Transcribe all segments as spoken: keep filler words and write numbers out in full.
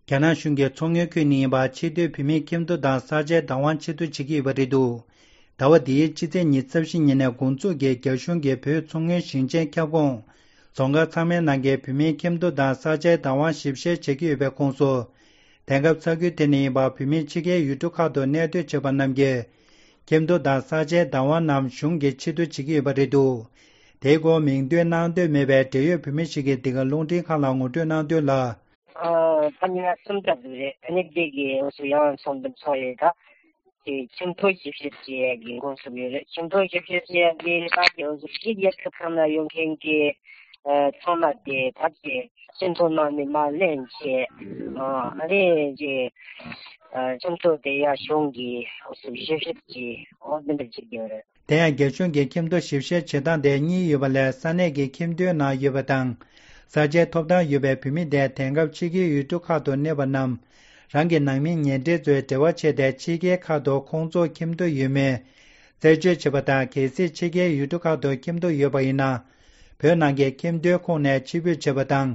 རྒྱ་ནག་གཞུང་གི་མཚོ་སྔོན་ཁུལ་ནས་ཡིན་པ་ཕྱིར་སྡོད་བོད་མིའི་ཁྱིམ་སྡོད་དང་ས་ཆའི་བདག་དབང་ཕྱིར་སྡོད་བྱེད་ཀྱི་ཡོད་པ་རེད་འདུག་ཟླ་བ་འདིའི་ཕྱི་ཚེས་ཉི་ཤུ་རྩ་བཞི་ཉིན་ནས་འགོ་འཛུགས་ཀྱིས་རྒྱ་གཞུང་གིས་བོད་མཚོ་སྔོན་ཞིང་ཆེན་ཁྱབ་ཁོངས་རྫོང་ཁག་ཚང་མའི་ནང་གི་བོད་མིའི་ཁྱིམ་སྡོད་དང་ས་ཆའི་བདག་དབང་ཞིབ་བཤེར་བྱེད་ཀྱི་ཡོད་པའི་ཁོངས་སུ། དེང་སྐབས་ས་ཁུལ་དེ་ནས་ཡིན་པ་བོད་མིའི་ཕྱི་རྒྱལ་ཡུལ་གྲུ་ཁག་ཏུ་གནས་སྡོད་བྱེད་པ་རྣམས་ཀྱི་ཁྱིམ་སྡོད་དང་ས་ཆའི་བདག་དབང་རྣམས་གཞུང་གིས་ཕྱིར་སྡོད་བྱེད་ཀྱི་ཡོད་པ་རེད་འདུག་དེའི་སྐོར་མིང་འདོན་གནང་འདོད་མེད་པའི་འབྲེལ་ཡོད་བོད་མི་ཞིག་གིས་འདི་ག་རླུང་འཕྲིན་ཁང་ལ་ངོ་སྤྲོད་གནང་དོན་ལ། ཨ། ད་ཉིན་གསུམ་ཙམ་ཟིག་རེད། ཨ་ནི་དེ་གི་འོ་སུ་ཡང་ཚོགས་འདུ་ཚོགས་ཡོད་ད། དེ་ཁྱིམ་ཐོག་ཞིབ་བཤེར་བྱེད་ཡས་ཀྱི་འགོ་ཚུགས་ཡོད་རེད། ཁྱིམ་ཐོག་ཞིབ་བཤེར་བྱེད་ཡས་དེ་ད་དེ་འོ་སུ་ཕྱི་རྒྱལ་ཁབ་ཁག་ནས་ཡོང་མཁན་གྱི་ཨ་ཚང་མ་དེ་ད་དེ་ཁྱིམ་ཐོག་ནང་ནས་མར་ལེན་བྱས། ཨ་ཨ་རེ་ཅེ་ཨ་ཁྱིམ་ཐོག་དེ་ཡ་གཞུང་གི་འོ་སུ་ཞིབ་བཤེར་གྱི་འོ་དེ་འདྲ་བྱེད་ཀྱི་ཡོད་རེད། དེ་ཡང་རྒྱ་གཞུང་གིས་ཁྱིམ་སྡོད་ཞིབ་བཤེར་བྱེད་སྟངས་དེ་གཉིས་ཡོད་པ་ལས་ས་གནས་ཀྱི་ཁྱིམ་སྡོད་ནང་ཡོད་པ་དང་། ས་ཆའི་ཐོབ་ཐང་ཡོད་པའི་བོད་མི་དེ་དེང་སྐབས་ཕྱི་རྒྱལ་ཡུལ་གྲུ་ཁག་ཏུ་གནས་པ་རྣམས། རང་གི་ནང་མི་ཉེ་འབྲེལ་ཚོའི་འབྲེལ་བ་ཆད་དེ་ཕྱི་རྒྱལ་ཁག་ཏུ་ཁོང་ཚོ་ཁྱིམ་སྡོད་ཡོད་མེད་རྩད་གཅོད་བྱེད་པ་དང་། གལ་སྲིད་ཕྱི་རྒྱལ་ཡུལ་གྲུ་ཁག་ཏུ་ཁྱིམ་སྡོད་ཡོད་པ་ཡིན་ན། བོད་ནང་གི་ཁྱིམ་སྡོད་ཁོངས་ནས་ཕྱིར་འབུད་བྱེད་པ་དང་།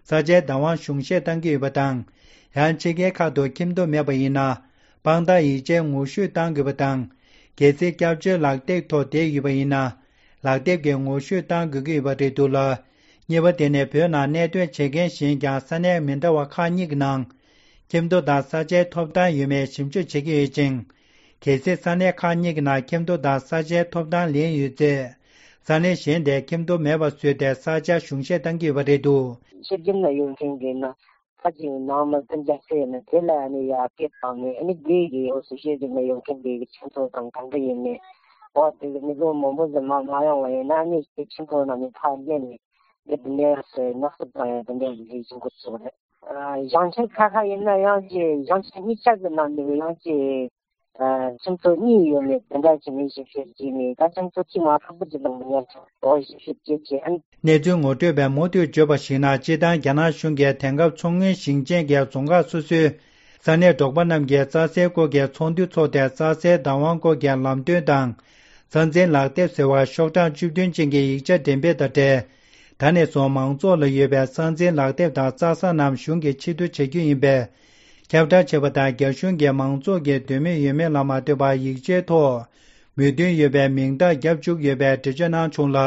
ས་ཆའི་བདག་དབང་གཞུང་བཞེས་གཏང་གི་ཡོད་པ་དང་། ཡང་ཕྱི་རྒྱལ་ཁག་ཏུ་ཁྱིམ་སྡོད་མེད་པ་ཡིན་ན། དཔང་རྟགས་ཡིག་ཆའི་ངོ་བཤུས་གཏང་དགོས་པ་དང་། གལ་སྲིད་སྐྱབས་བཅོལ་ལག་དེབ་ཐོག་བསྡད་ཡོད་པ་ཡིན་ན། ལག་དེབ་ཀྱི་ངོ་བཤུས་གཏང་དགོས་ཀྱི་ཡོད་པ་རེད་འདུག་ལ། གཉིས་པ་དེ་ནི་བོད་ནང་གནས་སྡོད་བྱེད་མཁན་གཞན་ཀྱང་ས་གནས་མི་འདྲ་བ་ཁག་གཉིས་ཀྱི་ནང་། ཁྱིམ་སྡོད་དང་ས་ཆའི་ཐོབ་ཐང་ཡོད་མེད་ཞིབ་འཇུག་བྱེད་ཀྱི་ཡོད་ཅིང་། གལ་སྲིད་ས་གནས་ཁག་གཉིས་ཀྱི་ནང་ཁྱིམ་སྡོད་དང་ས་ཆའི་ཐོབ་ཐང་ལེན་ཡོད་ཚེ། ས་གནས་གཞན་དེ་ཁྱིམ་སྡོད་མེད་པ་བཟོས་ཏེ་ས་ཆ་གཞུང་བཞེས་གཏང་གི་ཡོད་པ་རེད་འདུག་ཕྱི་རྒྱལ་ནས་ཡོང་མཁན་གྱི་ནང་ཁ་ཅིག་ནང་མི་སྤུན་ཀྱག་ཟེར་ནས་དེ་ལ་ནི་ཡར་སྐད་བཏང་ནས་ཨ་ནི་དེ་གི་འོ་སུ་ཕྱི་རྒྱལ་ནས་ཡོང་མཁན་དེ་གི་ཁྱིམ་ཚང་དང་གང་འདྲ་ཡིན་ནས། འོ་དེ་གི་མི་ལོ་མང་པོ་ཟིན་མ་མ་ཡོང་བ་ཡིན་ན་ནི་དེ་ཁྱིམ་ཚང་ནང་ནས་ཕར་སླེབས་ནས་དེ་དེ་འདྲ་ཟེར་ནག་སུབ་བཏང་ཡ་དེ་འདྲ་གི་ལས་བྱེད་འགོ་ཚུགས་རེད། ཞིང་ཆེན་ཁ་ཁ་ཡིན་ན་ཡང་ཅི་ཞིང་ཆེན་གཉིས་ཆ་གི་ནང་ནས་ཡང་ཅི། ཁྱིམ་ཚང་གཉིས་ཡོད་མེད་དེ་འདྲ་བྱས་ནས་ཞིབ་བཤེར་བྱས་ནས་ད་ཁྱིམ་ཚང་གཅིག་མ་ཕྲུ་གུ་གཅིག་དང་མི་ཉག་ཆུང་འོ་ཞིབ་བཤེར་བྱས་བྱས་ཨ་ནི། གནས་ཚུལ་ངོ་སྤྲོད་པས་མུ་མཐུད་བརྗོད་པར་གཞིགས་ན། སྤྱིར་བཏང་རྒྱ་ནག་གཞུང་གིས་དེང་སྐབས་མཚོ་སྔོན་ཞིང་ཆེན་གྱི་རྫོང་ཁག་སོ་སོའི་ས་གནས་འབྲོག་པ་རྣམས་ཀྱི་རྩྭ་སའི་སྐོར་གྱི་ཚོགས་འདུ་འཚོགས་ཏེ། རྩྭ་སའི་བདག་དབང་སྐོར་གྱི་ལམ་སྟོན་དང་། རྩྭ་འཛིན་ལག་དེབ་ཟེར་བ་ཤོག་གྲངས་བཅུ་བདུན་ཅན་གྱི་ཡིག་ཆ་འགྲེམས་སྤེལ་དང་འབྲེལ། ད་ནས་བཟུང་མང་ཚོགས་ལ་ཡོད་པའི་རྩྭ་འཛིན་ལག་དེབ་དང་རྩྭ་ས་རྣམས་གཞུང་གིས་ཕྱིར་བསྡུ་བྱ་རྒྱུ་ཡིན་པས། ཁྱབ་བསྒྲགས་བྱས་པ་དང་། རྒྱ་གཞུང་གིས་མང་ཚོགས་ཀྱི་འདོད་མོས་ཡོད་མེད་ལ་མ་ལྟོས་པར་ཡིག་ཆའི་ཐོག་མོས་མཐུན་ཡོད་པའི་མིང་རྟགས་བརྒྱབ་བཅུག་ཡོད་པའི་འགྲེལ་བརྗོད་གནང་བྱུང་ལ།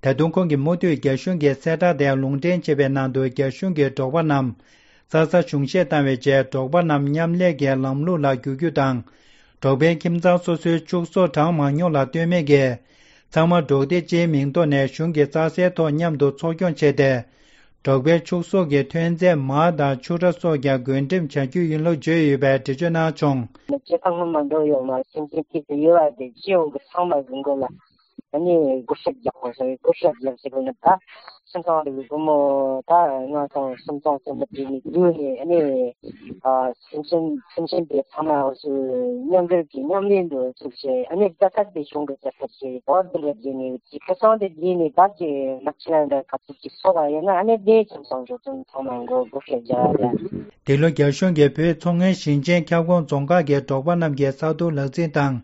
ད་དུང་ཁོང་གིས་མུ་མཐུད་རྒྱ་གཞུང་གི་གསལ་བསྒྲགས་དེ་ལུང་འདྲེན་བྱས་པའི་ནང་དུ། རྒྱ་གཞུང་གིས་འབྲོག་པ་རྣམས་རྩྭ་ས་གཞུང་བཞེས་བཏང་བའི་རྗེས། འབྲོག་པ་རྣམས་མཉམ་ལས་ཀྱི་ལམ་ལུགས་ལ་བསྒྱུར་རྒྱུ་དང་། འབྲོག་པའི་ཁྱིམ་ཚང་སོ་སོའི་ཕྱུགས་ཟོག་གྲངས་མང་ཉུང་ལ་ལྟོས་མེད་ཀྱིས། ཚང་མ་འབྲོག་སྡེ་སྤྱིའི་མིང་ཐོག་ནས་གཞུང་གི་རྩྭ་སའི་ཐོག་མཉམ་དུ་འཚོ་སྐྱོང་བྱས་ཏེ། འབྲོག་པའི་ཕྱུགས་ཟོག་གི་ཐོན་རྫས་མར་དང་ཕྱུར་ར་སོགས་ཀྱང་བགོ་འགྲེམས་བྱ་རྒྱུ་ཡིན་ལུགས་བརྗོད་ཡོད་པའི་འགྲེལ་བརྗོད་གནང་བྱུང་། སྤྱིར་བཏང་མི་མང་པོ་ཡོད་མ་སེམས་ཅན་ཐིག་ཏུ་ཡོད་པ་དེ་སྤྱི་ཡོངས་ཀྱི་ཚང་མ་གི་མགོ་ལ་ཨ་ནི་བགོ་བཤའ་རྒྱག་དགོས་སོ། བགོ་བཤའ་རྒྱག་ཟེར་དགོས་ན་ད་སྤྱིར་བཏང་གི་སྒོར་མོ་ད་ལྔ་སྟོང་སུམ་སྟོང་ཙམ་མ་བྲིས་ནས་བསྡུས་ནས་ཨ་ནི་ཨ་སེམས་ཅན་སེམས་ཅན་དེ་ཚང་མ་འོ་ཚོས་མཉམ་འབྲེལ་གྱི་མཉམ་ལས་འདུ་ཚུགས་བྱས་ཨ་ནི་རྩ་ཁ་དེ་གཞུང་གི་རྩ་ཁ་བྱས་བར་དུ་ལ་བརྗེས་ནས་ཅི་ཁ་སང་དེ་བརྗེས་ནས་ད་ཅི་ནག་ཆུ་ལ་འདྲ་ག་ཚོད་ཅིག་སོགས་པ་ཡིན་ན་ཨ་ནི་དེ་ཁྱིམ་ཚང་འགྲོ་དོན་ཚང་མ་མགོ་སྒུར་བྱས་རྒྱ་ལ། འདི་ལོ་རྒྱ་གཞུང་གིས་བོད་མཚོ་སྔོན་ཞིང་ཆེན་ཁྱབ་ཁོངས་རྫོང་ཁག་གི་འབྲོག་པ་རྣམས་ཀྱི་ས་རྡུལ་ལག་འཛིན་དང་།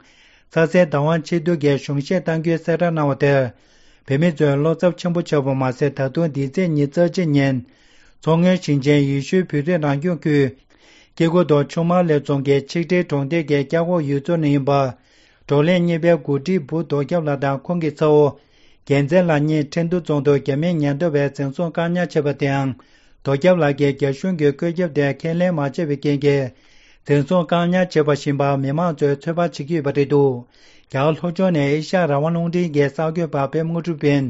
རྩྭ་སའི་བདག་དབང་ཕྱིར་བསྡུ་གི་གཞུང་བཞེས་གཏང་རྒྱུའི་གསལ་བསྒྲགས་གནང་བ་དེར། བོད་མི་ཚོས་བློ་འཚབ་ཆེན་པོ་བྱས་པ་མ་ཟད། ད་དུང་འདི་ཚེས་ཉི་ཤུ་རྩ་གཅིག་ཉིན། མཚོ་སྔོན་ཞིང་ཆེན་ཡེ་ཤུའི་བོད་རིགས་རང་སྐྱོང་ཁུལ། སྐྱེ་རྒུ་མདོ་ཆུ་དམར་ལེབ་རྫོང་གི་ཆིག་སྒྲིལ་གྲོང་རྡལ་གྱི་སྐྱ་ཁོག་ཡུལ་ཚོ་ནས་ཡིན་པ། བགྲོ་གླེང་གཉིས་པའི་འགོ་ཁྲིད་བུ་རྡོ་རྒྱབ་ལགས་དང་ཁོང་གི་ཚ་བོ། རྒྱལ་མཚན་ལགས་གཉིས་ཁྲིན་ཏུ་རྫོང་དུ་རྒྱ་མིའི་ཉེན་རྟོག་པས་འཛིན་བཟུང་བཀག་ཉར་བྱས་པ་དེའང་། རྡོ་རྒྱབ་ལགས་ཀྱིས་རྒྱ་གཞུང་གི་བཀོད་ཁྱབ་དེ་ཁས་ལེན་མ་བྱས་པའི་རྐྱེན་གྱིས། འཛིན་བཟུང་བཀག་ཉར་བྱས་པ་བཞིན་པར་མི་མང་ཚོས་ཚོད་དཔག་བྱེད་ཀྱི་ཡོད་པ་རེད་འདུག་རྒྱ་གར་ལྷོ་ཕྱོགས་ནས་ཨེ་ཤ་ཡ་རང་དབང་རླུང་འཕྲིན་གྱི་གསར་འགོད་པ་པད་མ་དངོས་གྲུབ་ཡིན།